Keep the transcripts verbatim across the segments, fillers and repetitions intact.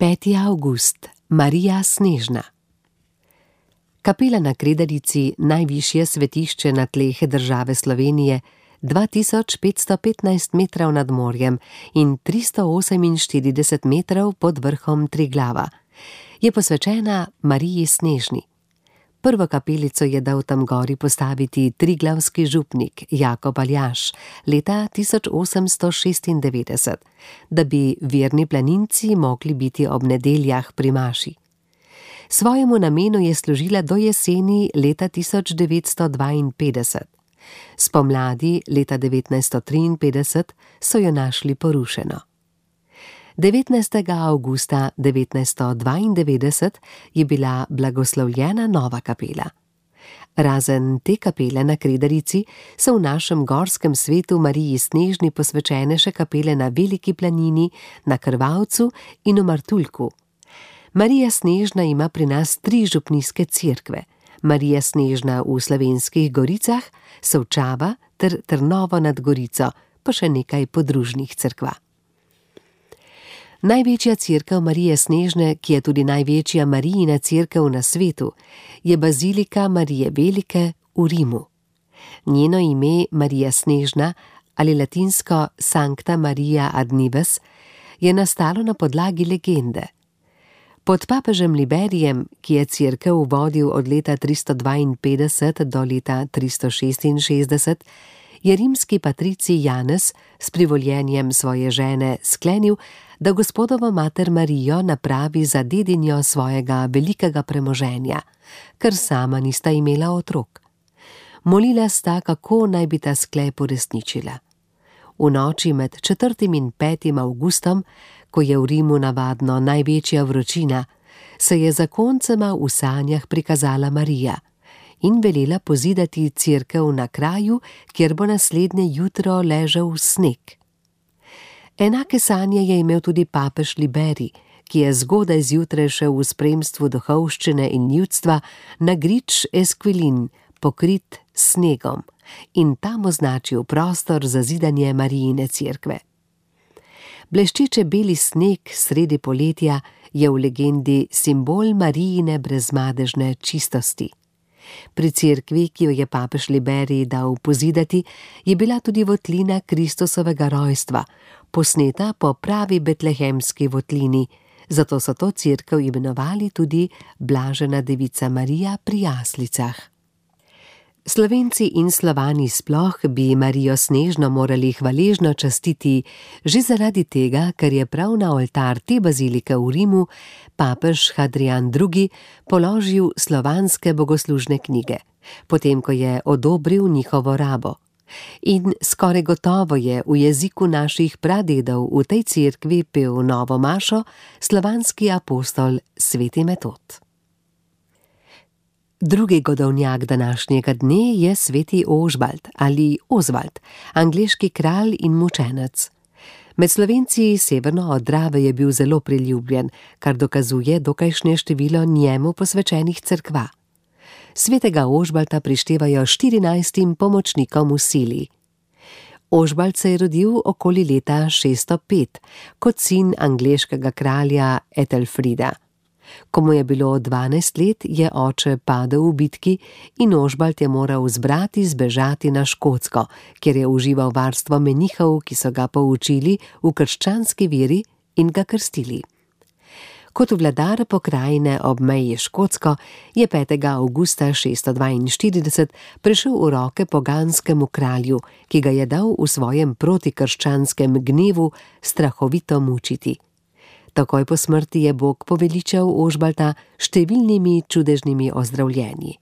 peti avgust, Marija Snežna. Kapela na Kredarici, najvišje svetišče na tleh države Slovenije, dva tisoč petsto petnajst metrov nad morjem in tristo oseminštirideset metrov pod vrhom Triglava, je posvečena Mariji Snežni. Prvo kapelico je dal tam gori postaviti triglavski župnik Jakob Aljaž leta tisoč osemsto šestindevetdeset, da bi verni planinci mogli biti ob nedeljah pri maši. Svojemu namenu je služila do jeseni leta tisoč devetsto dvainpetdeset. Spomladi leta devetnajststo triinpetdeset so jo našli porušeno. devetnajstega avgusta devetnajststo dvaindevetdeset je bila blagoslovljena nova kapela. Razen te kapele na Kredarici so v našem gorskem svetu Mariji Snežni posvečene še kapele na Veliki planini, na Krvavcu in v Martuljku. Marija Snežna ima pri nas tri župnijske cerkve: Marija Snežna v Slovenskih Goricah, Solčava ter Trnovo nad Gorico, pa še nekaj podružnih cerkva. Največja cerkev Marije Snežne, ki je tudi največja Marijina cerkev na svetu, je bazilika Marije Velike v Rimu. Njeno ime Marija Snežna ali latinsko Sancta Maria ad Nives je nastalo na podlagi legende. Pod papežem Liberijem, ki je cerkev vodil od leta tristo dvainpetdeset do leta tristo šestinšestdeset, je rimski patricij Janez s privoljenjem svoje žene sklenil, da Gospodovo mater Marijo napravi za dedinjo svojega velikega premoženja, ker sama nista imela otrok. Molila sta, kako naj bi ta sklep uresničila. V noči med četrtim in petim avgustom, ko je v Rimu navadno največja vročina, se je zakoncema v sanjah prikazala Marija in velela pozidati cerkev na kraju, kjer bo naslednje jutro ležal sneg. Enake sanje je imel tudi papež Liberij, ki je zgodaj zjutraj šel v spremstvu duhovščine in ljudstva na grič Esquilin, pokrit s snegom, in tam označil prostor za zidanje Marijine cerkve. Bleščeče beli sneg sredi poletja je v legendi simbol Marijine brezmadežne čistosti. Pri cerkvi, ki jo je papež Liberij dal pozidati, je bila tudi votlina Kristusovega rojstva, posneta po pravi betlehemski votlini, zato so to cerkev imenovali tudi Blažena devica Marija pri jaslicah. Slovenci in Slovani sploh bi Marijo Snežno morali hvaležno častiti že zaradi tega, ker je prav na oltar te bazilike v Rimu papež Hadrijan drugi položil slovanske bogoslužne knjige, potem ko je odobril njihovo rabo. In skoraj gotovo je v jeziku naših pradedov v tej cerkvi pel novo mašo slovanski apostol sveti Metod. Drugi godovnjak današnjega dne je sveti Ožbalt ali Ozvald, angleški kralj in mučenec. Med Slovenci severno od Drave je bil zelo priljubljen, kar dokazuje dokajšnje število njemu posvečenih cerkva. Svetega Ožbalta prištevajo štirinajstim pomočnikom v sili. Ožbalt se je rodil okoli leta šeststo pet kot sin angleškega kralja Ethelfrida. Ko mu je bilo dvanajst let, je oče padel v bitki in Ožbalt je moral z brati zbežati na Škotsko, kjer je užival varstvo menihov, ki so ga poučili v krščanski veri in ga krstili. Kot vladar pokrajine ob meji Škotsko je petega avgusta šeststo dvainštirideset prešel v roke poganskemu kralju, ki ga je dal v svojem protikrščanskem gnevu strahovito mučiti. Takoj po smrti je Bog poveličal Ožbalta številnimi čudežnimi ozdravljenji.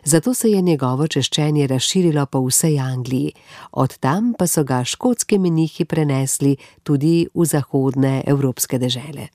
Zato se je njegovo češčenje razširilo po vsej Angliji, od tam pa so ga škotski menihi prenesli tudi v zahodne evropske dežele.